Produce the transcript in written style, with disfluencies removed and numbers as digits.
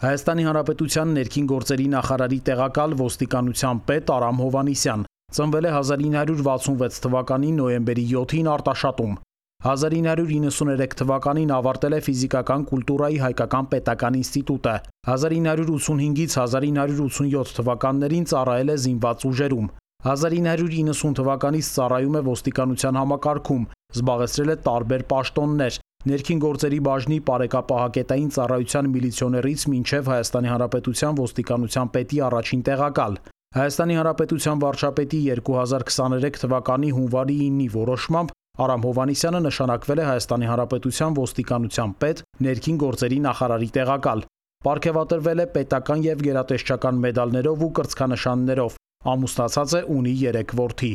Հայաստանի Հանրապետության ներքին գործերի նախարարի տեղակալ ոստիկանության պետ Արամ Հովհաննիսյան ծնվել է 1966 թվականի նոյեմբերի 7-ին Արտաշատում։ 1993 թվականին ավարտել է ֆիզիկական կուլտուրայի հայկական պետական ինստիտուտը։ 1985-ից 1987 թվականներին ծառայել է զինված ուժերում։ 1990 թվականից ծառայում է ոստիկանության համակարգում, զբաղեցրել է տարբեր պաշտոններ՝ ներքին գործերի բաժնի պարեկապահակետային ծառայության միլիցիոներից մինչև Հայաստանի Հանրապետության ոստիկանության պետի առաջին տեղակալ։ Հայաստանի Հանրապետության վարչապետի 2023 թվականի հունվարի 9-ի որոշմամբ Արամ Հովհաննիսյանը նշանակվել է Հայաստանի Հանրապետության ոստիկանության պետ, ներքին գործերի նախարարի տեղակալ։ Պարգևատրվել է պետական և գերատեսչական մեդալներով ու կրծքանշաններով։ Ամուսնացած է, ունի 3 որդի։